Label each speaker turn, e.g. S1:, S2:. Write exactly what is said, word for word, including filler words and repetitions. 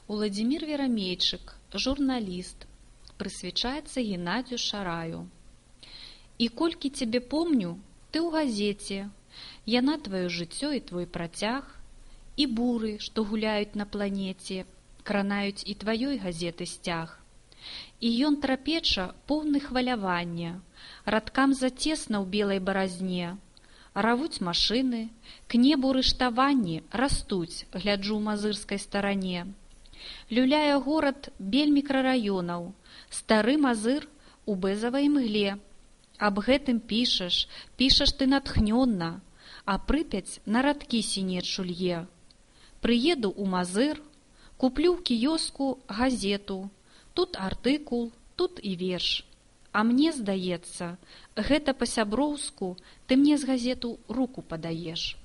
S1: Уладзімір Верамейчык, журналіст, прысвячаецца Геннадзю Шараю. І колькі цябе помню, ты ў газеце, яна тваё жыццё і твой працяг, і буры, што гуляюць на планеце, кранаюць і тваёй газеты сцяг. І ён трапеча поўны хвалявання, радкам зацесна ў белай баразне. Равуць машыны, к небу рыштаванні растуць, гляджу ў мазырскай старане. Люляе горад бель мікрараёнаў, стары мазыр у бэзавай мгле. Аб гэтым пішаш, пішаш ты натхнённа, а Прыпяць на радкі сінечу лье. Прыеду ў мазыр, куплю ў кіёску газету, тут артыкул, тут і верш. А мне здаецца, гэта па-сяброўску ты мне з газету руку падаеш.